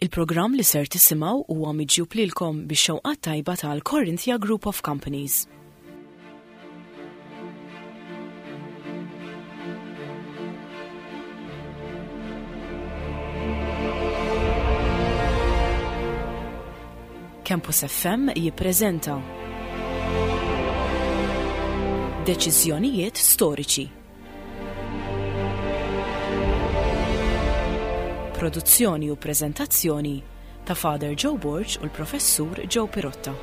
Il-programm li ser tisimgħu huwa miġjub lilkom bix-xewqat tajba tal-Corinthia Group of Companies. Campus FM jippreżenta Deċiżjonijiet storiċi. Produzzjoni u preżentazzjoni ta' Father Joe Borg u l-Professur Joe Pirotta.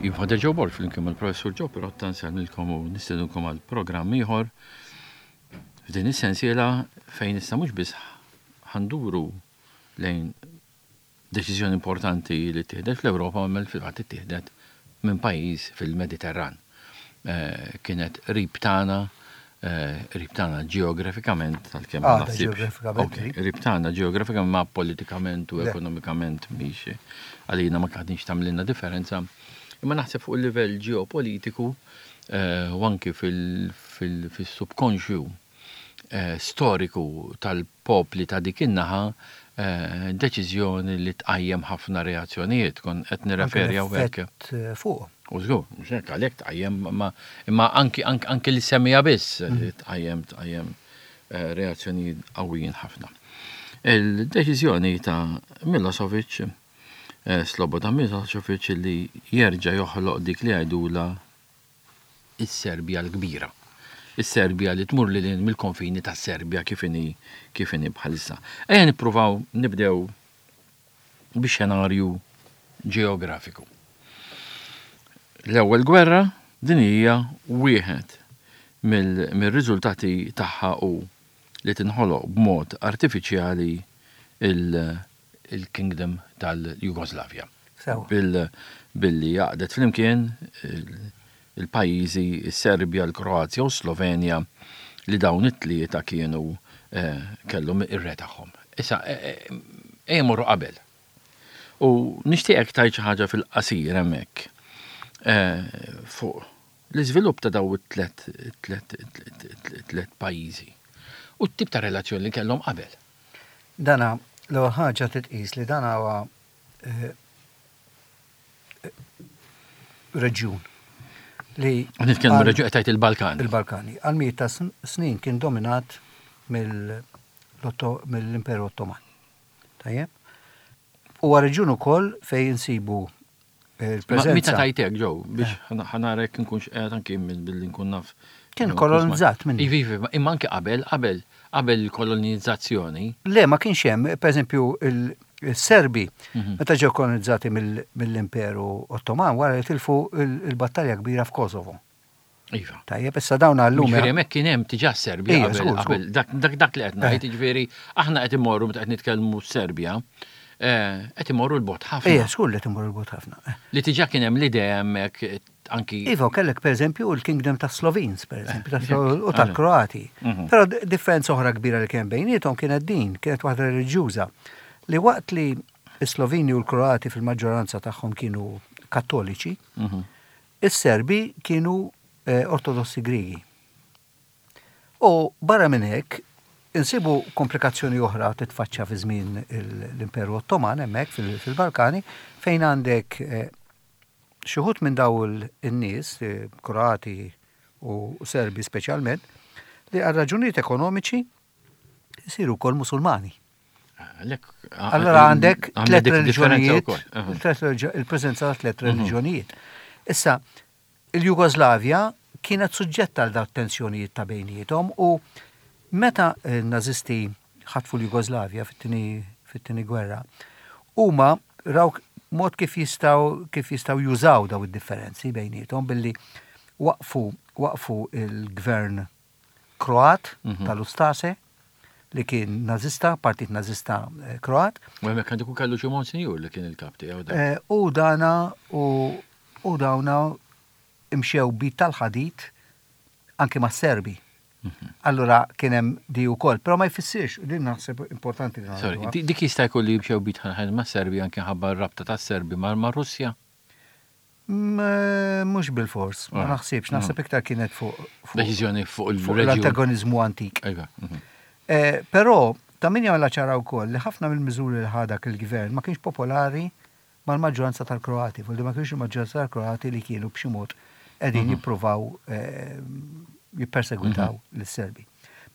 Jien Father Joe Borg flimkien mal-Professur Joe Pirotta nsellmilkom u nistedinkom għal programm ieħor f'din is-sensiela fejn issa mhux biss ħanduru lejn deċiżjoni importanti li ttieħdet fl-Ewropa imma fil-fatt ittieħdet minn pajjiż fil-Mediterran. Eh, kienet qrib tagħna eh, qrib tagħna ġeografikament għalkemm ma naħsibx. Qrib tagħna ġeografikament ma politikament u ekonomikament mhix għalina ma kienx tagħmlilna differenza. Imma naħseb fuq il-livell ġeopolitiku eh, u anki fil-subkonxju storiku tal-popli ta' dik in-naħa deċiżjoni li tqajjem ħafna reazzjonijiet. Kon qed nirreferi hawnhekk. Effett fuq. U żgur, mhux hekk għalhekk tqajjem imma imma anki anki li semmija biss tqajjem tqajjem reazzjonijiet qawwijin ħafna. Il-deċiżjoni ta' Milosevic, Slobodan Milosevic li jerġa' joħloq dik li jgħidulha is-Serbja l-kbira. Is-Serbja li tmur lil hinn mill-konfini tas-Serbja kif inhi kif inhi bħalissa. Ejja nippruvaw nibdew bix-xenarju ġeografiku. L-ewwel gwerra din hija wieħed mill-riżultati tagħha hu li tinħoloq b'mod artifiċjali il-Kingdom tal-Jugoslavja. Billi għaqdet flimkien il-pajjiżi s-Serbja, l-Kroazja u s-Slovenja li dawn it-tlieta kienu eh, kellhom ir-re tagħhom. Issa, eh, eh, ejja morru qabel. U nixtieqek tgħid xi ħaġa fil-qasir hemmhekk fuq l-iżvilupp ta' daw it-tlet tlet pajjiżi u t-tip ta' relazzjoni li kellhom qabel. Dana, l-ewwel ħaġa titqis li dan huwa reġjun li. Nitkellmu reġjun qed tgħid il-Balkani. Il-Balkani. Għal mijiet ta' snin kien dominat mill-Imperu Ottoman. Tajjeb? Huwa reġjun ukoll fejn insibu il-preżenza. Meta tajtek ġew biex eh. ħanarek nkunx qiegħed anki billi nkun naf. Kien kolonizzat minn. Iva, iva, imma anki qabel, qabel, qabel il-kolonizzazzjoni. Le, ma kienx hemm, pereżempju, il-Serbi, mhm. meta ġew kolonizzati mill-Imperu Ottoman, wara li tilfu il-battalja kbira f'Kosovo. Iva. Tajjeb, issa dawn għallum. Ġifieri hemmhekk kien hemm diġà Serbja qabel dak dak li qed ngħid, eh. ġifieri aħna qed immorru meta qed nitkellmu Serbja, eh, qed imorru l-bot ħafna. Ejja, żgur li qed imorru l-bot ħafna. Eh. Li diġà kien hemm l-idea hemmhekk anki. Iva, kellek pereżempju l-Kingdom ta' Slovenes, pereżempju, u tal-Kroati. Mhm. Però differenza oħra kbira li kien bejniethom kienet din, kienet waħda reliġjuża li waqt li s-Sloveni u l-Kroati fil-maġġoranza tagħhom kienu kattoliċi, mhm. Is-Serbi kienu Ortodossi Griegi. U barra minn hekk, insibu komplikazzjoni oħra titfaċċa fi żmien l-Imperu Ottoman hemmhekk fil-Balkani fejn għandek xi wħud minn dawn in-nies, Kroati u Serbi speċjalment, li għal raġunijiet ekonomiċi jsiru wkoll Musulmani. Allora għandek tlet reliġjonijiet, il-preżenza ta' tlet mhm. reliġjonijiet. Issa, il-Jugoslavja kienet suġġetta għal dawn tensjonijiet ta' bejniethom u meta n-Nazisti ħatfu l-Jugoslavja fit-tieni gwerra, huma raw mod kif jistgħu kif jistgħu jużaw daw id-differenzi bejniethom billi waqfu waqfu il-gvern Kroat tal-Ustase li kien Nażista, partit Nażista eh, Kroat. U hemmhekk għandu kellu xi monsinjur li kien il-kap tiegħu. Eh, u dana u u dawna imxew bit tal-ħadid anke ma' Serbi. Allura kien hemm di wkoll, però ma jfissirx, u din naħseb importanti li Sorry, ngħiduha. dik jista' jkun li jimxew bit ħin ma' Serbi anke ħabba r-rabta tas-Serbi ma' Russja? Mhux bilfors, ma naħsibx, naħseb iktar kienet fuq Deċiżjoni fuq il-reġjun. L-antagonizmu antik. Iva. Mhm. Eh, però ta' min jagħmilha ċara wkoll li ħafna mill-miżuri li ħa dak il-gvern ma kienx popolari mal-maġġoranza tal-Kroati, vuol ma kienx il-maġġoranza tal-Kroati li kienu b'xi mod qegħdin mhm. jippruvaw eh, jippersegwitaw mhm. lis-Serbi.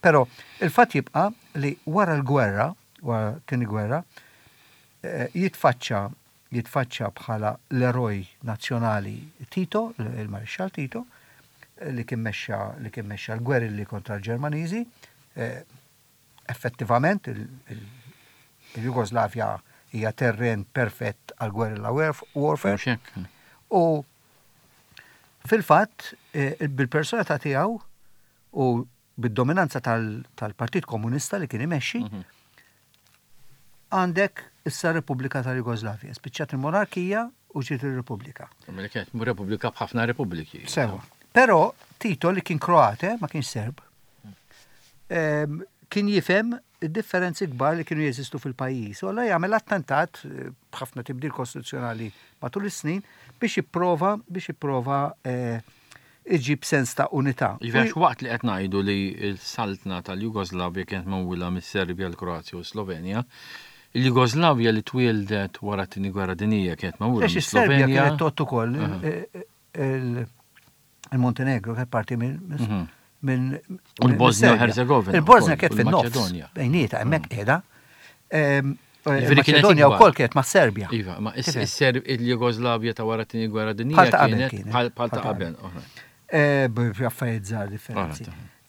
Però il-fatt jibqa' li wara l-gwerra, wara tieni gwerra, eh, jitfaċċa jitfaċċa bħala l-eroj nazzjonali Tito, il-Marixxall Tito, li kien mexxa li kien mexxa l-gwerilli kontra l-Ġermaniżi. Eh, effettivament il-Jugoslavja hija terren perfett għal guerrilla warfare. U fil-fatt eh, bil-personalità tiegħu u bid-dominanza tal-Partit Komunista li kien imexxi, mhm. għandek issa Repubblika tal-Jugoslavja. Spiċċat il-monarkija u ġiet il-Repubblika. Mela kienet Repubblika b'ħafna repubbliki. Sewa. Però Tito li kien Kroate, ma kienx Serb, ehm, kien jifhem id-differenzi kbar li kienu jeżistu fil-pajjiż. U allura jagħmel attentat eh, b'ħafna tibdil kostituzzjonali matul is-snin biex jipprova biex jipprova eh, iġib sens ta' unità. Jiġifieri għax waqt li qed ngħidu li l-saltna tal-Jugoslavja kienet magħmula mis-Serbja, l-Kroazja u s-Slovenja, il-Jugoslavja li twieldet wara t-Tieni Gwerra Dinjija kienet magħmula mis-Slovenja. Is-Serbja kienet tgħodd ukoll il-Montenegro kienet parti minn mhm. minn U l-Bosnia u Herzegovina. Il-Bosnia kienet fin-nofs. Bejnieta hemmhekk qiegħda. Il-Maċedonja wkoll kienet ma' Serbja. Iva, ma il-Jugoslavja ta' wara t-tieni gwerra dinjija kienet bħal ta' qabel. Eh, b'affarijiet żgħar differenzi.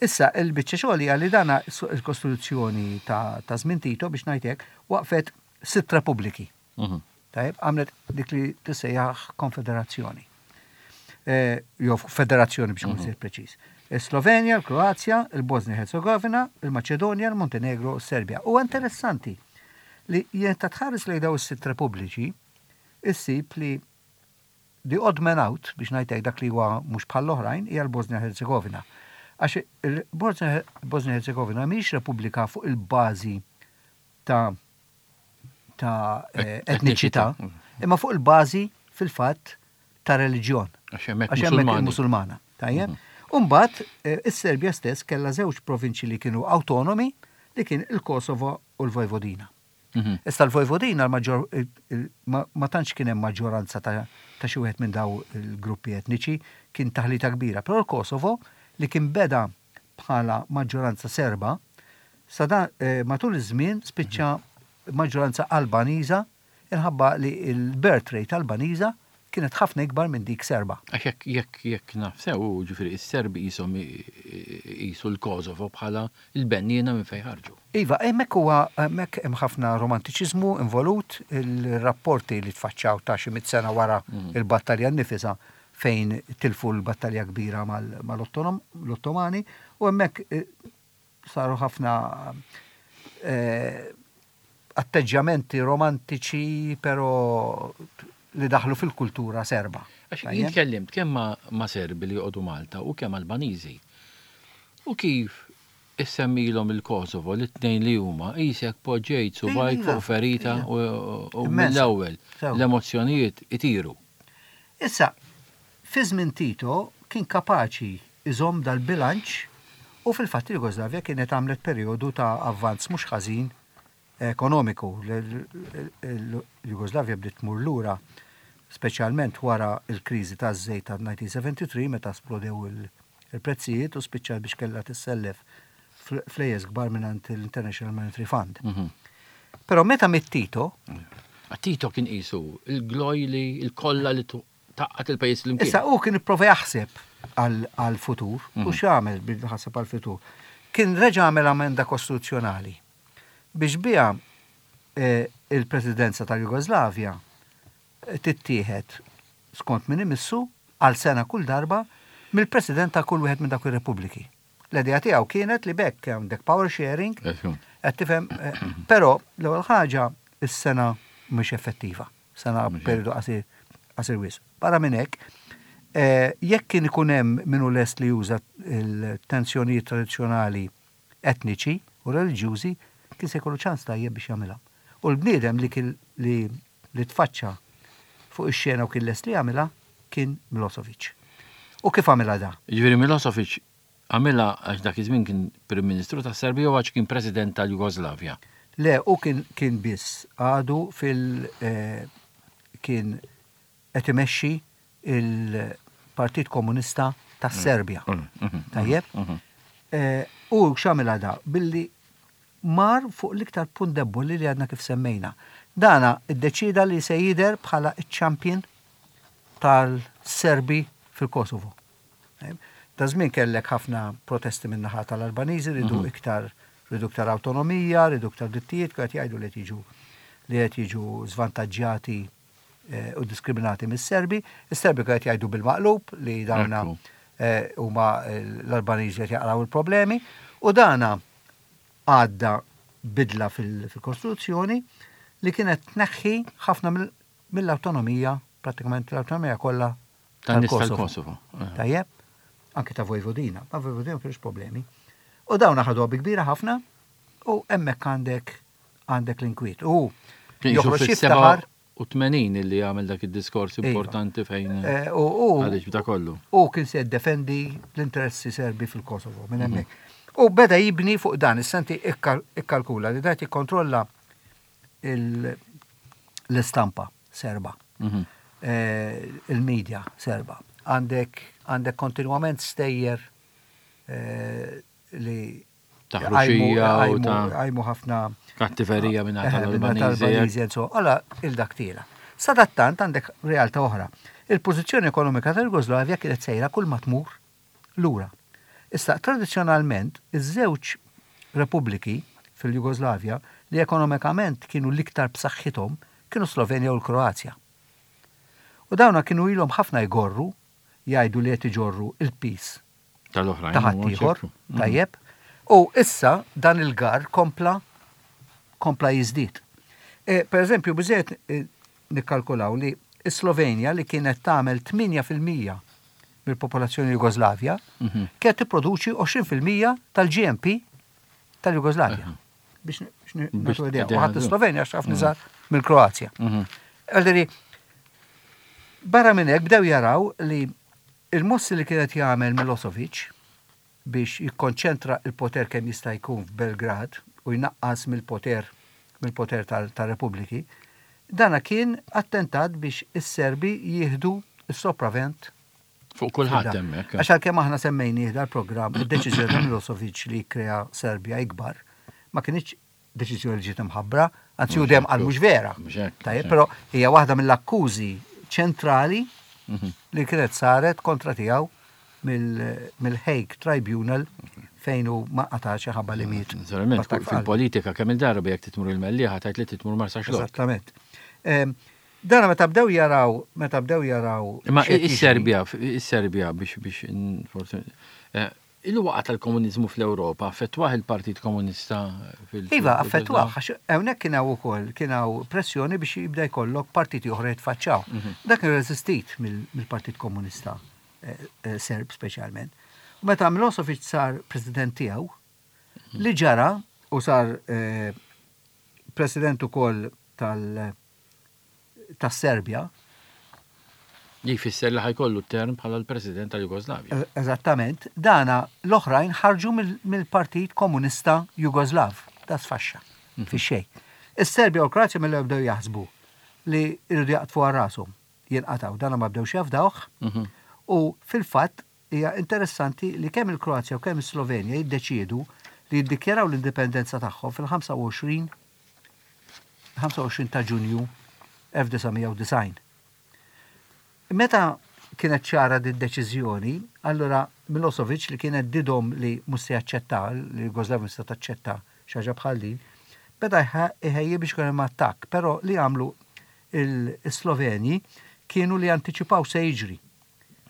Issa, il-biċċa xogħol hija li dana il-Kostituzzjoni ta' żmien Tito biex ngħid hekk waqfet sitt repubbliki. Mhm. Tajjeb, għamlet dik li tissejjaħ konfederazzjoni. Eh, jew federazzjoni biex nkun mhm. preċiż. Slovenja, l-Kroazja, il-Bosnia Herzegovina, il-Maċedonja, il-Montenegro, s-Serbja. U interessanti li jenta tħares lejn daw is-sitt repubbliċi, issib li the odd man out, biex ngħidlek dak li huwa mhux bħall-oħrajn, hija l-Bosnia Herzegovina. Għax il-Bosnia Herzegovina mhijiex repubblika fuq il-bażi ta' ta' eh, etniċità, imma fuq il-bażi fil-fatt ta' reliġjon. Għax hemmhekk musulmana. Tajjeb? Mhm. Umbagħad eh, is-Serbja stess kellha żewġ provinċi li kienu awtonomi li kien il-Kosovo u l-Vojvodina. Mhm. Issa l-Vojvodina ma tantx kien hemm maġġoranza ta' xi wieħed minn daw il-gruppi etniċi, kien taħlita kbira. Però l-Kosovo li kien beda bħala maġġoranza Serba, sa dan matul iż-żmien spiċċa maġġoranza Albaniża inħabba li l-birth rate Albaniża kienet ħafna ikbar minn dik Serba. Għax jekk jekk jekk naf sew, jiġifieri s-Serbi qishom iqisu l-Kosovo bħala l-benniena minn fejn ħarġu. Iva, hemmhekk huwa hemmhekk hemm ħafna romantiċiżmu involut, il-rapporti li tfaċċaw ta' xi mitt sena wara l-battalja nnifisha fejn tilfu l-battalja kbira mal-Ottomani u hemmhekk eh, saru ħafna eh, atteġġjamenti romantiċi però li daħlu fil-kultura serba. Għax jien tkellimt kemm ma' Serbi li joqogħdu Malta u kemm Albaniżi. U kif issemmilhom il-Kosovo li t-tnejn li huma qisek poġġejt subgħajk fuq ferita u mill-ewwel l-emozzjonijiet itiru. Issa, fi żmien Tito kien kapaċi jżomm dal-bilanċ u fil-fatt il-Jugoslavja kienet għamlet perjodu ta' avvanz mhux ħażin ekonomiku. Il-Jugoslavja bdiet tmur lura speċjalment wara l-kriżi taż-żejt ta' 1973 meta splodew il-prezzijiet u spiċċat biex kellha tissellef flejjes kbar mingħand l-International Monetary Fund. Mhm. Però meta miet Tito. Tito kien qisu il-gloj li l-kolla li taqqat il-pajjiż l-imkien. Issa hu kien ipprova jaħseb għal-futur u mhm. x'għamel bil ħaseb għal-futur. Kien reġa' għamel amenda kostituzzjonali biex biha eh, il-presidenza tal-Jugoslavja eh, tittieħed skont min imissu għal sena kull darba mill-president ta' kull wieħed minn dawk ir-repubbliki. L-idea tiegħu kienet li b'hekk għandek power sharing, qed tifhem, eh, però l-ewwel ħaġa is-sena mhux effettiva, sena periodu qasir qasir wisq. Barra minn hekk, Jekk kien ikun hemm min hu lest li juża l-tensjonijiet tradizzjonali etniċi u reliġjużi, kien se jkollu ċans tajjeb biex jagħmilha. U l-bniedem li kien li li tfaċċa fuq ix-xena u kien lest li jagħmilha kien Milosevic. U kif għamilha da? Jiġifieri Milosevic għamilha għax dak iż-żmien kien Prim Ministru tas-Serbja u għax kien President tal-Jugoslavja? Le, hu kien kien biss għadu fil kien qed imexxi il-Partit Komunista tas-Serbja. Tajjeb? U x'għamilha da? Billi mar fuq l-iktar punt debboli li għadna kif semmejna. Dana iddeċieda li se jidher bħala ċ-champion tal-Serbi fil-Kosovo. Da żmien kellek ħafna protesti min-naħa tal-Albaniżi ridu iktar ridu iktar awtonomija, ridu iktar drittijiet, kienu qed jgħidu li qed jiġu li qed jiġu żvantaġġjati u diskriminati mis-Serbi. Is-Serbi kienu qed jgħidu bil-maqlub li dawna huma l-Albaniżi qed jaqraw il-problemi u dana għadda bidla fil-Kostituzzjoni li kienet tneħħi ħafna mill-awtonomija, prattikament l-awtonomija kollha tal-Kosovo. Tajjeb, anki ta' Vojvodina, ma' Vojvodina ma kienx problemi. U dawn ħaduha bi kbira ħafna u hemmhekk għandek għandek l-inkwiet. U joħroġ jiftaħar. U 80 illi għamel dak id-diskors iva. importanti fejn. Eh, u għaliex b'da kollu. U kien se jiddefendi l-interessi serbi fil-Kosovo minn hemmhekk. Mhm. U beda jibni fuq dan, is-senti ikkalkula li dat jikkontrolla l-istampa serba, mhm. eh, il-medja serba. Għandek għandek kontinwament stejjer eh, li Ta' ħruxija u ta' għajmu ħafna kattiverija minn eh, tal-Albaniżi. Għala il-dak tiela. Sadattant għandek realtà oħra. Il-pożizzjoni ekonomika tal-Jugoslavja kienet sejra kull ma tmur lura. Issa, tradizzjonalment, iż-żewġ repubbliki fil-Jugoslavja li ekonomikament kienu l-iktar b'saħħithom kienu Slovenja u l-Kroazja. U dawna kienu ilhom ħafna jgorru jgħidu li qed iġorru il-piż tal-oħrajn. Ta' ħaddieħor, mhm. tajjeb. U issa dan il-gar kompla kompla jiżdied. E, per eżempju, biżejjed e, nikkalkulaw li s-Slovenja li kienet tagħmel 8% mill-popolazzjoni Jugoslavja, mhm. kienet tipproduċi 20% tal-GNP tal-Jugoslavja. Biex nagħtu idea. U ħadd Slovenja għax ħafna iżgħar mhm. mill-Kroazja. Mhm. Għalderi, barra minn hekk bdew jaraw li il-mossi li kienet jagħmel Milosevic biex jikkonċentra il-poter kemm jista' jkun f'Belgrad u jnaqqas mill-poter mill-poter tar-Repubbliki, dana kien attentat biex is-Serbi jieħdu s-sopravent Fuq kulħadd hemmhekk. Għax għalkemm aħna semmejnieh dal-programm, id-deċiżjoni ta' Milosevic li jikkrea Serbja ikbar, ma kinitx deċiżjoni li ġiet imħabbra, anzi hu dejjem qal mhux vera. Tajjeb, però hija waħda mill-akkużi ċentrali mhm. li kienet saret kontra tiegħu mill-Hague Tribunal fejn hu ma qatax ħabba li miet. Naturalment, fil-politika kemm il-darba jekk titmur il-Mellieħa tajt li titmur Marsaxlokk. Eżattament. Ehm, Dana meta bdew jaraw, meta bdew jaraw. Imma is-Serbja, is-Serbja biex biex forsi eh, il-waqa tal-komuniżmu fl-Ewropa affettwah il-Partit Komunista fil Iva, affettwah, għax hawnhekk kien hawn ukoll kien hawn pressjoni biex jibda jkollok partiti oħra jitfaċċaw. Mhm. Dak kien reżistit mill-Partit Komunista eh, eh, Serb speċjalment. U meta Milosevic sar president tiegħu, mhm. li ġara u sar president ukoll tal- tas-Serbja. Li jfisser li ħajkollu term bħala l-President tal-Jugoslavja. E, eżattament, dana l-oħrajn ħarġu mill-Partit Komunista Jugoslav, da sfaxxa, mhm. fi xejn. Is-Serbja u l-Kroazja mill bdew jaħsbu li jridu jaqtfu għal rashom, jinqataw, dana ma bdewx jafdawh, mhm. u fil-fatt hija interessanti li kemm il-Kroazja u kemm is-Slovenja jiddeċiedu li jiddikjaraw l-indipendenza tagħhom fil-25 25 ta' Ġunju 1990. Meta kienet ċara din deċiżjoni, allura Milosevic li kienet didhom li mhux se jaċċetta, li Jugoslavja mhux se taċċetta xi ħaġa bħal din, beda iħejji biex ikun hemm attakk, però li għamlu il-Sloveni kienu li antiċipaw se jiġri.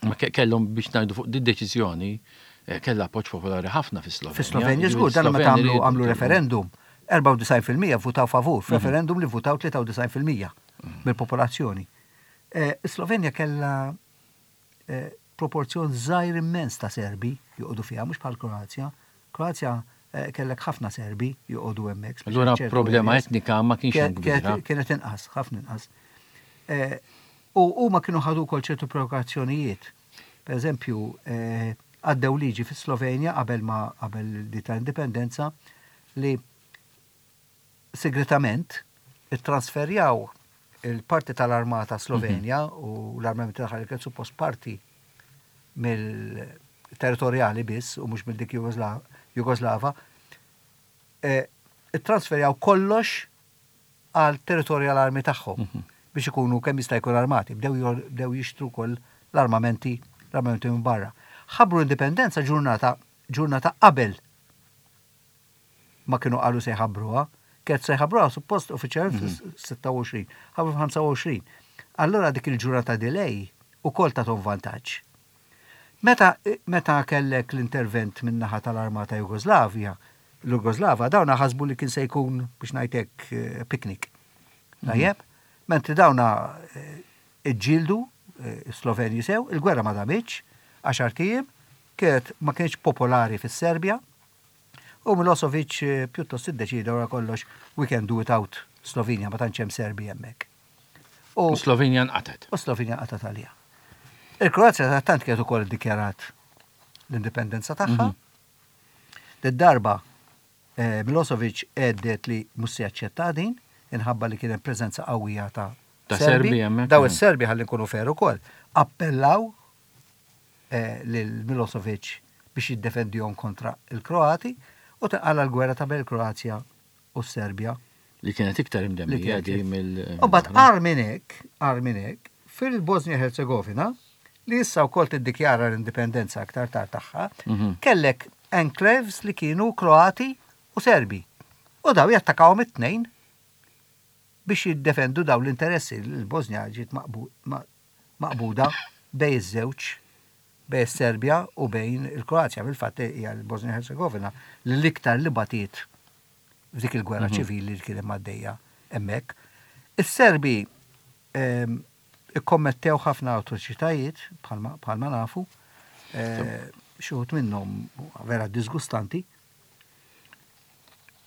Ma kellhom biex ngħidu fuq di deċiżjoni eh, kellha appoġġ popolari ħafna fis-Slovenja. Fis-Slovenja żgur dan meta għamlu għamlu referendum 94% votaw favur, mhm. f'referendum li votaw 93% mhm. mill-popolazzjoni. Eh, Slovenja kellha proporzjon żgħir immens ta' Serbi joqogħdu fiha, mhux bħal Kroazja. Kroazja kellek ħafna Serbi joqogħdu hemmhekk. Allura problema etnika ma kienx hemm kbira. Kienet inqas, ħafna inqas. U huma kienu ħadu wkoll ċertu provokazzjonijiet. Per eżempju, għaddew liġi fis-Slovenja qabel ma qabel di ta' indipendenza li segretament ittransferjaw il-parti tal-armata Slovenja u l-armamenti tagħha li kien suppost parti mill-territorjali biss u mhux mill dik Jugoslava, ittransferjaw kollox għal territorial army tagħhom biex ikunu kemm jista' jkun armati. Bdew jixtru wkoll l-armamenti l-armamenti minn barra. Ħabbru l-indipendenza ġurnata ġurnata qabel ma kienu qalu se jħabbruha. Kienet se jħabbruha suppost uffiċjalment fis-26, ħabbru fil-25. Allura dik il-ġurnata delay ukoll tathom vantaġġ. Meta meta kellek l-intervent min-naħa tal-armata Jugoslavja, l-Jugoslava, dawna ħasbu li kien se jkun biex ngħid hekk picnic. Tajjeb? Mentri dawna iġġieldu s-Slovenji sew, il-gwerra ma damitx, għaxart ijiem, kienet ma kienx popolari fis-Serbja, U Milosevic pjuttost iddeċieda wara kollox we can do without Slovenia, ma tantx hemm Serbi hemmhekk. U Slovenja nqatgħet. U Slovenja nqatgħet għaliha. Il-Kroazja tant kienet ukoll iddikjarat l-indipendenza tagħha. Did-darba Milosevic għeddet li mhux se jaċċetta din, inħabba li kien hemm preżenza qawwija ta' Serbi hemmhekk. Daw is-Serbi ħalli nkunu fair ukoll, appellaw lil Milosevic biex jiddefendihom kontra l-Kroati u tinqala' l-gwerra ta' bejn il-Kroazja u s-Serbja. Li kienet iktar imdemmija di mill. U mbagħad agħar minn hekk, agħar minn hekk, fil-Bosnia Herzegovina, li issa wkoll tiddikjara l-indipendenza aktar tard tagħha, kellek enclaves li kienu Kroati u Serbi. U daw jattakawhom it-tnejn biex jiddefendu dawn l-interessi. Il-Bosnia ġiet maqbuda bejn iż-żewġ, bejn is-Serbja u bejn il-Kroazja. Fil-fatt hija l-Bosnia Herzegovina li l-iktar li batiet f'dik il-gwerra ċivili li kien hemm għaddejja hemmhekk. Is-Serbi ikkommettew ħafna atroċitajiet bħalma nafu, xi wħud minnhom vera disgustanti.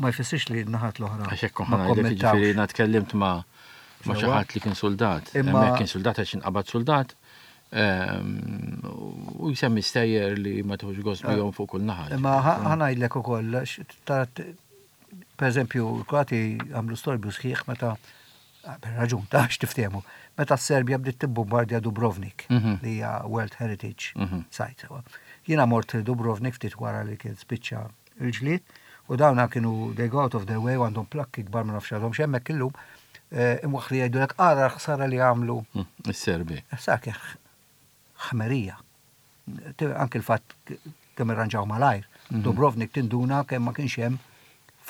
Ma jfissirx li n-naħat l-oħra. Għax hekk ma kommettawx. Jiena tkellimt ma' ma' xi ħadd li kien soldat. Imma kien soldat għax inqabad soldat. Ehm, u jsemmi stejjer li ma tħux gost eh. bihom fuq kull naħa. Imma ħanajdlek ukoll, per eżempju, l-Kroati għamlu storbju sħiħ meta ah, per raġun ta' x'tiftehmu, meta s-Serbja bdiet tibbombardja Dubrovnik, mhm. li hija World Heritage mhm. Site. Jiena mort Dubrovnik ftit wara li kien spiċċa il-ġlied, u dawna kienu they go out of their way u għandhom plakki kbar ma nafx għadhom x'hemmhekk illum, imwaħħli jgħidulek ara l-ħsara li għamlu. Is-Serbi. Ħsara kien ħmerija. Anki l-fatt kemm irranġaw malajr. Dubrovnik tinduna kemm ma kienx hemm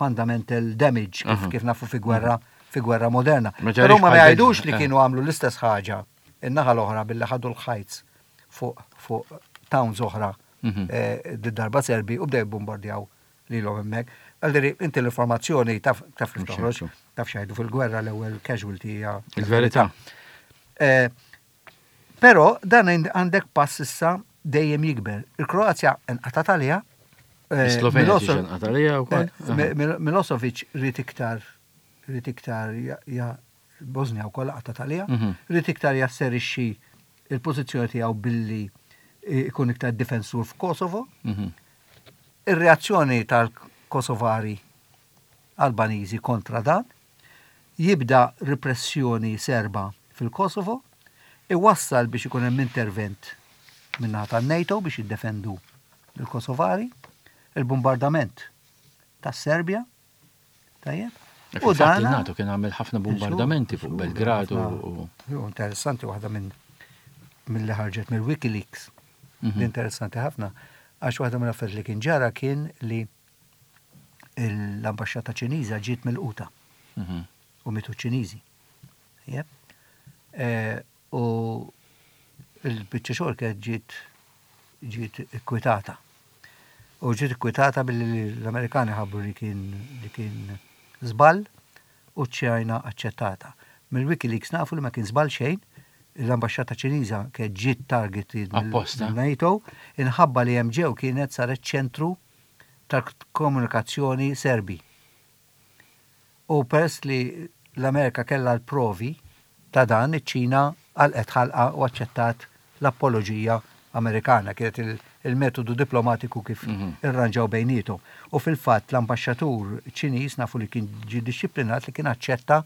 fundamental damage kif nafu fi gwerra fi gwerra moderna. Però ma jgħidux li kienu għamlu l-istess ħaġa in-naħa l-oħra billi ħadu l-ħajts fuq fuq towns oħra Did-darba Serbi u bdew jibbombardjaw lilhom hemmhekk. Għaldiri, inti l-informazzjoni taf taf kif toħroġ, taf x'jgħidu fil-gwerra l-ewwel casualty hija. Il-verità. Però dan għandek pass issa dejjem jikber. Il-Kroazja nqatat għaliha. Slovenja nqatat għaliha wkoll. Milosevic ried iktar ried iktar Bosnia wkoll qatgħet għaliha, ried iktar jasserixxi l-pożizzjoni tiegħu billi jkun iktar difensur f'Kosovo. Ir-reazzjoni tal-Kosovari Albaniżi kontra dan, jibda repressjoni Serba fil-Kosovo, iwassal biex ikun hemm intervent min-naħa tan-NATO biex jiddefendu lill-Kosovari, il-bombardament tas-Serbja, Tajjeb. U dan il-NATO kien għamel ħafna bombardamenti fuq Belgrad u. Interessanti waħda minn mill-li ħarġet mill-Wikileaks. Mhm. Interessanti ħafna. Għax waħda mill affarijiet li kien ġara kien li l-ambasċata Ċiniża ġiet mill-quta. Mhm. U mitu Ċiniżi. Eh, U l-biċċa xogħol kienet ġiet ġiet ikkwitata. U ġiet ikkwitata billi l-Amerikani ħabbru li kien li kien żball u ċ-Ċina aċċettata. Mill-Wikileaks nafu li ma kien żball xejn, L-ambaxxata Ċiniża kienet ġiet targeted mill-NATO inħabba li hemm ġew kienet saret ċentru tal-komunikazzjoni Serbi. U peress li l-Amerika kellha l-provi ta' dan, iċ-Ċina għalqet ħalqha u aċċettat l-apoloġija Amerikana. Kienet il-metodu diplomatiku kif irranġaw bejniethom. U fil-fatt l-ambaxxatur Ċiniż nafu li kien ġie dixxiplinat li kien aċċetta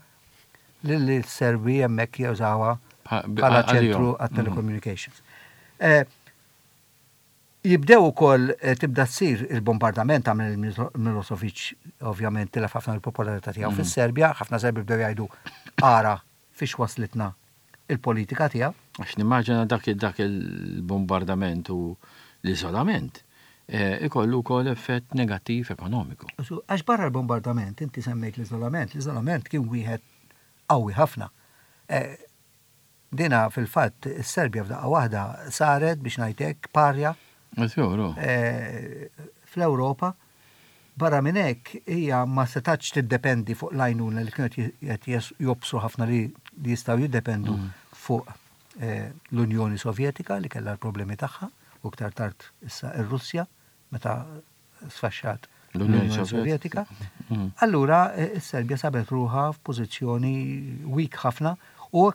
li l-Serbi hemmhekk jużawha bħala ċentru għat-telecommunications. Jibdew ukoll tibda ssir il-bombardament għamel Milosevic ovvjament tilef ħafna mill-popolarità tiegħu fis-Serbja, ħafna Serbi bdew jgħidu ara fiex waslitna il-politika tiegħu. Għax nimmaġina dak dak il-bombardament u l-iżolament ikollu wkoll effett negattiv ekonomiku. Għax barra l-bombardament, inti semmejt l-iżolament, l-iżolament kien wieħed qawwi ħafna. Dina fil-fatt is-Serbja f'daqqa waħda saret biex ngħid hekk parja fl-Ewropa. Barra minn hekk hija ma setgħetx tiddependi fuq l-għajnuna li kienu qed jobsru ħafna li jistgħu jiddependu fuq l-Unjoni Sovjetika li kellha l-problemi tagħha u iktar tard issa r-Russja meta sfaxxat l-Unjoni Sovjetika. Mm. Allura eh, is-Serbja sabet ruħha f'pożizzjoni weak ħafna u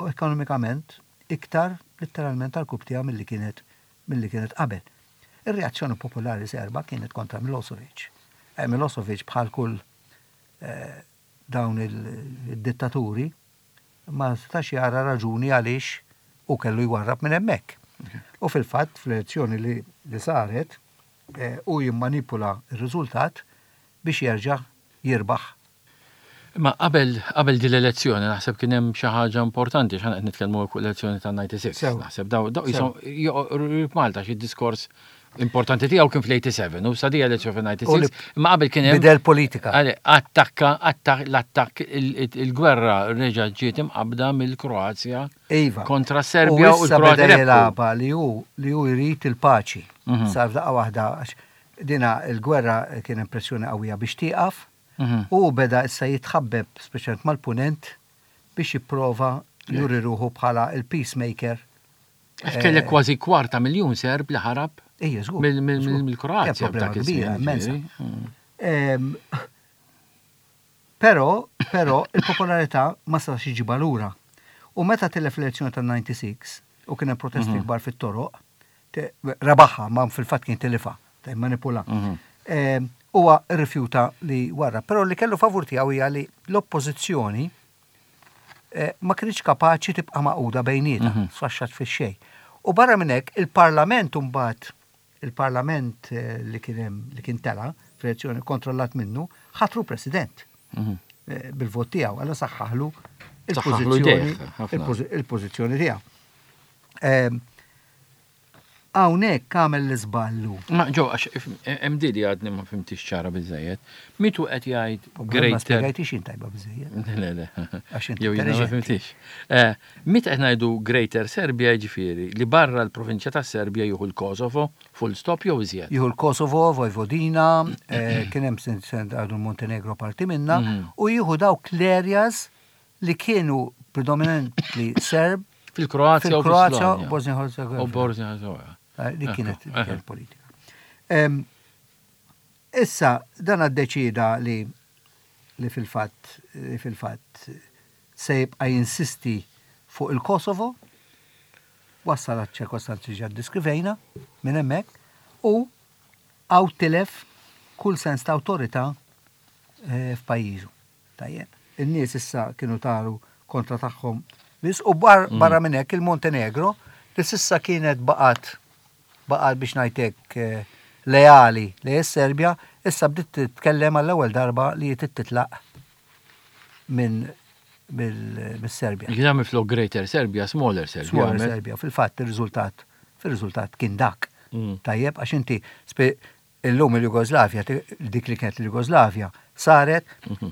ekonomikament iktar letteralment tal-kubtija milli kienet milli kienet qabel. Ir-reazzjoni popolari serba kienet kontra Milosevic. Eh, Milosevic bħal kull eh, dawn il-dittaturi ma setax jara raġuni għaliex hu kellu jwarrab minn hemmhekk. U fil-fatt fl-elezzjoni li, li saret eh, hu jimmanipula r-riżultat biex jerġa' jirbaħ. Imma qabel qabel din l-elezzjoni naħseb kien hemm xi ħaġa importanti x'aħna qed nitkellmu fuq l-elezzjoni ta' 96. Naħseb daw daw jisom Malta xi diskors importanti tiegħu kien fl-87 u sa di elezzjoni fil-96. Imma qabel kien hemm. Bidel politika. Attakka, l-attakk il-gwerra reġa' ġiet imqabbda mill-Kroazja. Iva. Kontra Serbja u l-Kroazja. Jilgħabha li hu li hu jrid il-paċi. Mhm. Sar f'daqqa waħda dina il-gwerra kien impressjoni qawwija biex tieqaf. Mhm. U beda issa jitħabbeb speċjalment mal-punent biex jipprova juri ruħu bħala il-peacemaker Għax kellek kważi kwarta miljun Serb li ħarab mill-Kroazja. Problema kbira, immensa. Mm. Però, però, il-popolarità ma setax iġibha lura. U meta tilef l-elezzjoni tan-96 u kien hemm protesti mhm. kbar fit-toroq, rebaħha, ma fil-fatt kien tilifha, manipula. Mhm. Huwa rrifjuta li warra, però li kellu favur tiegħu hija li l-oppożizzjoni ma kinitx kapaċi tibqa' magħquda bejnietha, mhm. sfaxxat fix-xejn. U barra minn hekk il-Parlament imbagħad il-Parlament eh, li kien hemm li kien tela fl-elezzjoni kontrollat minnu ħatru President mhm. eh, bil-vot tiegħu, għalla saħħaħlu il-pożizzjoni tiegħu. Ehm, Hawnhekk għamel l-iżball hu. Ma Joe, għax hemm di li għadni ma fhimtix ċara biżżejjed. Mitu qed jgħid greater. Ma spjegajtix jien tajba biżżejjed. Le, le. Għax inti Jew jiena ma fhimtix. Eh, Meta qed ngħidu Greater Serbia jiġifieri li barra l-provinċja tas-Serbja jieħu l-Kosovo, full stop jew iżjed? Jieħu l-Kosovo, Vojvodina, eh, kien hemm għadu l-Montenegro parti minnha, mhm. u jieħu dawk l-areas li kienu predominantly Serb Fil-Kroazja u Fil-Kroazja u Bosnia Herzegovina. U Bosnia Herzegovina. Eh, li kienet kienet politika. Issa, dan għaddeċida li li fil-fatt li fil-fatt se jibqa' jinsisti fuq il-Kosovo, wassal għal ċirkostanzi ġa ddiskrivejna minn hemmhekk u għaw tilef kull sens ta' awtorità eh, f'pajjiżu. Tajjeb. In-nies issa kienu taru kontra tagħhom biss u mm. barra minn hekk il-Montenegro li s'issa kienet baqgħet baqgħet biex ngħidlek eh, leali li s-Serbja issa bdiet titkellem għall-ewwel darba li titlaq minn mill-Serbja. Jien għamil flok Greater Serbia, Smaller Serbia. Smaller Serbia, fil-fatt ir-riżultat fir-riżultat kien dak. Mm. Tajjeb, għax inti Illum il-Jugoslavja, dik li kienet il-Jugoslavja, saret mhm.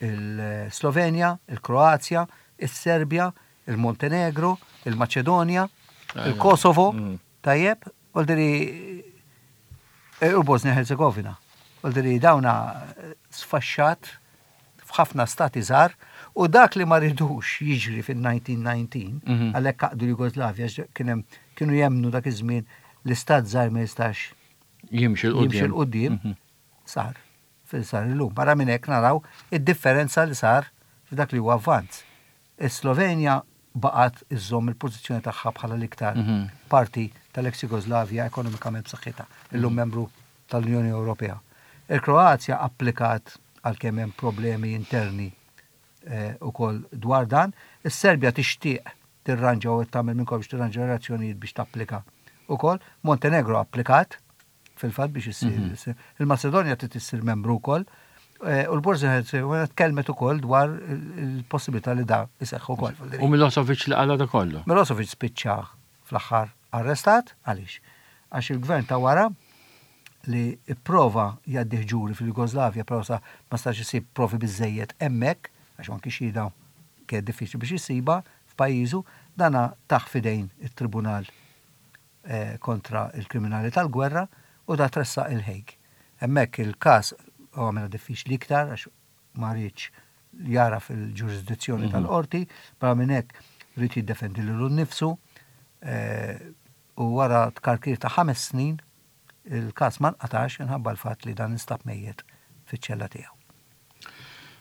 il-Slovenja, il-Kroazja, il-Serbja, il-Montenegro, il-Maċedonja, il-Kosovo, mm. tajjeb, għoldiri eh, u Bosnia Herzegovina. Għoldiri dawna eh, sfaxxat f'ħafna stati żgħar U dak li ma ridux jiġri fil-1919, mhm. għalhekk għaqdu l-Jugoslavja, kienu jemnu dak iż-żmien l-istat żgħir ma jistax jimxi l-qudiem, mhm. sar fil-sar illum. Barra minn hekk naraw id-differenza li sar f'dak li huwa avvanz. Is-Slovenja baqgħet iżżomm il-pożizzjoni tagħha bħala l-iktar mhm. parti tal-ex Jugoslavja ekonomikament b'saħħitha, illum mhm. membru tal-Unjoni Ewropea. Il-Kroazja applikat għalkemm hemm problemi interni ukoll dwar dan. Is-Serbja tixtieq tirranġa u qed tagħmel minn kollox biex tirranġa relazzjonijiet biex tapplika ukoll. Montenegro applikat fil-fatt biex issir. Mhm. Il-Macedonia trid issir membru wkoll. Eh, u l-Bosnia Herzegovina tkellmet ukoll dwar il-possibilità li da iseħħ ukoll. U Milosevic li qala da kollu? Milosevic spiċċa fl-aħħar arrestat, għaliex? Għax il-gvern ta' wara li pprova jgħaddih ġuri fil-Jugoslavja però sa ma setax isib provi biżżejjed hemmhekk, għax anki xhieda kienet diffiċli biex issibha f'pajjiżu, dana tah f'idejn it-tribunal kontra l-kriminali tal-gwerra u da tressaq il-Hague. Hemmhekk il-każ għamilha diffiċli iktar għax ma riedx jagħraf il-ġurisdizzjoni tal-qorti, barra minn hekk ried jiddefendi lilu nnifsu u wara tkarkir ta' ħames snin il-każ ma nqatax minħabba l-fatt li dan instab mejjet fiċ-ċella tiegħu.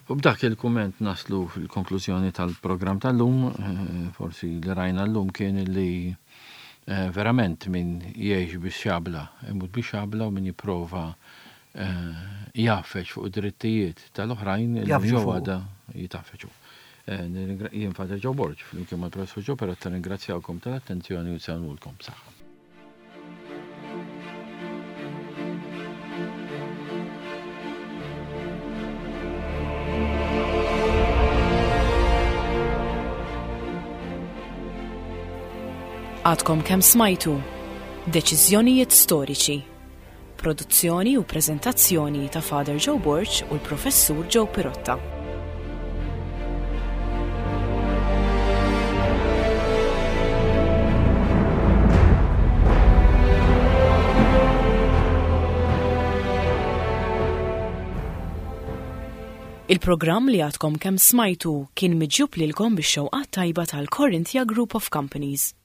U b'dak il-kumment naslu fil-konklużjoni tal-programm tal-lum, forsi li rajna llum kien li verament min jgħix bix-xabla imut bix-xabla u min jipprova jgħaffeġ fuq id-drittijiet tal-oħrajn illum jew għada jitgħaffeġ hu. Jien Father Joe Borg, flimkien mal-Professur Joe Perotta nirringrazzjawkom tal-attenzjoni u nsellmulkom. B'saħħa. Għadkom kemm smajtu Deċiżjonijiet Storiċi. Produzzjoni u preżentazzjoni ta' Father Joe Borg u l-Professur Joe Pirotta. Il-programm li għadkom kemm smajtu kien miġjub lilkom bix-xewqat tajba tal-Corinthia Group of Companies.